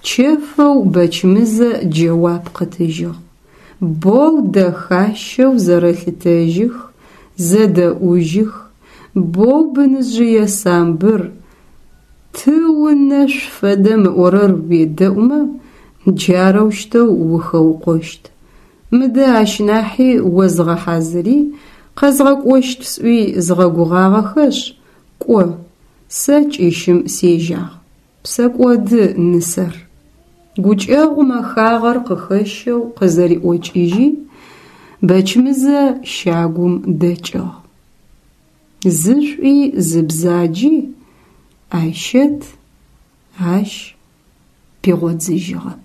чэфэу Бэчмызэ джэуап къытыжьыгъ. Боу дэхащэу зэрэлъытэжьых, зэдэӏужьых, боу быныжъые самбыр, тыу нэшъу фэдэм ыӏорэр уедэӏумэ, джарэущтэу ухэукъощт. Мыдэ ащ нахьи о зыгъэхьазыри, къэзгъэкӏощт сӏуи згъэгугъагъэхэшъ, кӏо, сэ кӏыщым сежьагъ. Псэкӏоды нысэр. Гукӏэгъу мэхагъэр къыхэщэу къызэриӏокӏыжьи, Бэчмызэ щагум дэкӏыгъ. Зы шӏуи зы бзаджи Айщэт ащ пигъодзыжьыгъэп.